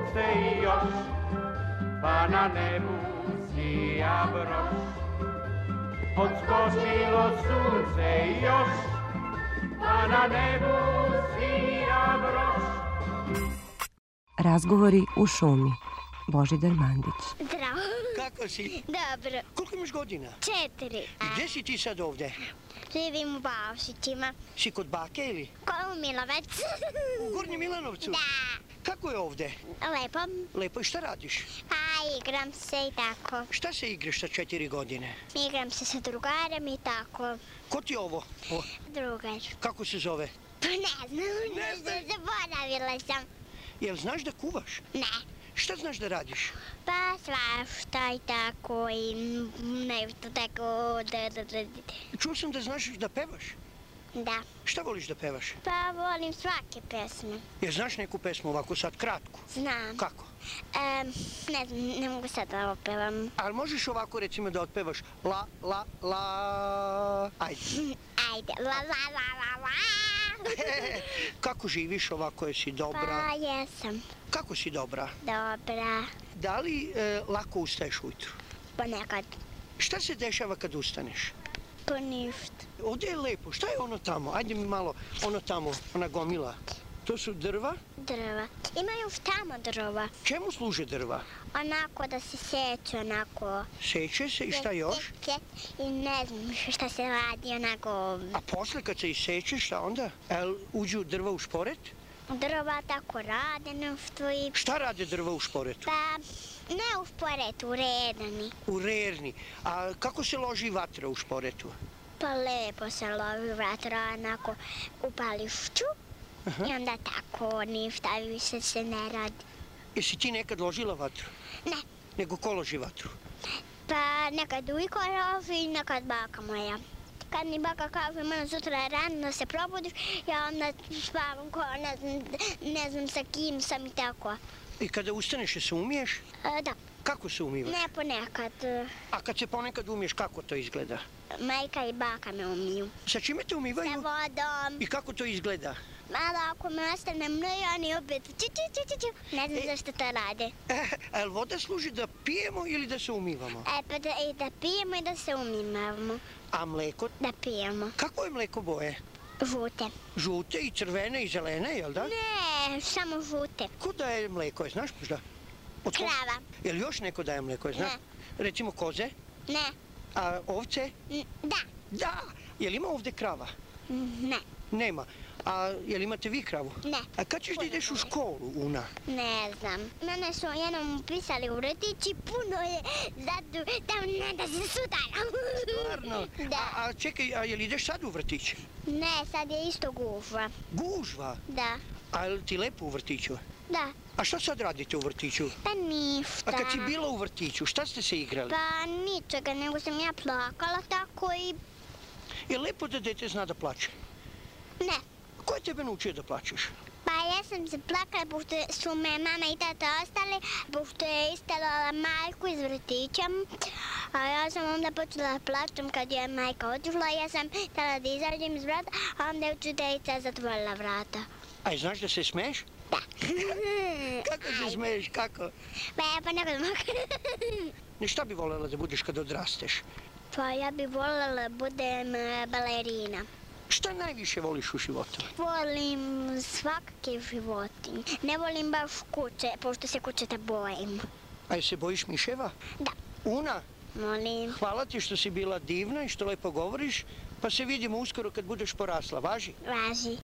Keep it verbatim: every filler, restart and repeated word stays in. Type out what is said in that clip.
sunce još, pa na nebu sija broš. Odskočilo sunce još, pa na nebu sija broš. Razgovori u šumi. Božidar Mandić. Zdravo. Kako si? Dobro. Koliko imaš godina? Četiri. Gdje si ti sad ovdje? Živim u Baušićima. Si kod bake ili? Ko u Milovec. U Gornjem Milanovcu? Da. Kako je ovdje? Lepo. Lepo, i šta radiš? Pa igram se i tako. Šta se igraš sa četiri godine? Igram se sa drugarom i tako. Ko ti je ovo? O, Drugar. kako se zove? Pa ne znam. Ne znam. Zaboravila sam. Jel znaš da kuvaš? Ne. Šta znaš da radiš? Pa svašta i tako i nešto tako. Da, da, da. Čuo sam da znaš da pevaš. Da. Šta voliš da pevaš? Pa volim svake pesme. Jel znaš neku pesmu ovako sad kratku? Znam. Kako? Um, ne znam, ne mogu sad da opevam. Ali možeš ovako recimo da otpevaš la, la, la... Ajde. Ajde, la, la, la, la, la. Kako živiš ovako, jesi dobra? Pa jesam. Kako si dobra? Dobra. Da li e, lako ustaješ ujutru? Ponekad. Šta se dešava kad ustaneš? Pa ništa. Ovdje je lepo. Šta je ono tamo? Ajde mi malo, ono tamo, ona gomila. To su drva? Drva. Ima još tamo drva. Čemu služe drva? Onako da se seče, onako. Seče se i šta još? I ne znam šta se radi, onako. A posle kad se iseče, šta onda? El uđu drva u šporet? Drva tako rade nešto i... Šta rade drva u šporetu? Pa, ne u šporetu, u redani. U rerni. A kako se loži vatra u šporetu? Pa lepo se loži vatra, onako upališ ču. Aha. I onda tako, ništa više se ne radi. Jesi ti nekad ložila vatru? Ne. Nego ko loži vatru? Pa nekad ujko loži i nekad baka moja. Kad mi baka kaže, malo sutra rano da se probudiš, ja onda spavam ko ne znam, ne znam sa kim sam i tako. I kada ustaneš, se umiješ? E, da. Kako se umivaš? Ne ponekad. A kad se ponekad umiješ, kako to izgleda? Majka i baka me umiju. Sa čime te umivaju? Sa vodom. I kako to izgleda? Malo ako me ostane mnoji, oni opet ču, ču, ču, ču, ču. Ne znam zašto to rade. E, a jel voda služi da pijemo ili da se umivamo? E, pa da, i da pijemo i da se umivamo. A mleko? Da pijemo. Kako je mleko boje? Žute. Žute i crvene i zelene, jel da? Ne, samo žute. Ko daje mleko, je, znaš možda? Od ko- Krava. Jel još neko daje mleko, je, znaš? Ne. Recimo koze? Ne. A ovce? N- Da. Da! Jel ima ovdje krava? Ne. Nema. A jel imate vi kravu? Ne. A kad ćeš da ideš u školu, Una? Ne znam. Mene su jednom upisali u vrtić i puno je zato da ne da se sudaram. Stvarno? Da. A, a čekaj, a jel ideš sad u vrtić? Ne, sad je isto gužva. Gužva? Da. A jel ti lepo u vrtiću? Da. A šta sad radite u vrtiću? Pa ništa. A kad si bila u vrtiću, šta ste se igrali? Pa ničega, nego sam ja plakala tako i... Je lepo da dete zna da plače? Ne. Ko je tebe naučio da plačeš? Pa ja sam se plakala pošto su me mama i tata ostali, pošto je istelala majku iz vrtića. A ja sam onda počela da plačem kad je majka otišla. Ja sam htjela da izađem iz vrata, a onda je učiteljica zatvorila vrata. Aj, znaš da se smeješ? Da. Kako se smeješ, kako? Pa ja pa nekad mogu. Ne, šta bi voljela da budeš kad odrasteš? Pa ja bih voljela da budem e, balerina. Šta najviše voliš u životu? Volim svakake životinje. Ne volim baš kuće, pošto se kućeta bojim. A jel se bojiš miševa? Da. Una, Molim. hvala ti što si bila divna i što lepo govoriš, pa se vidimo uskoro kad budeš porasla, važi? Važi.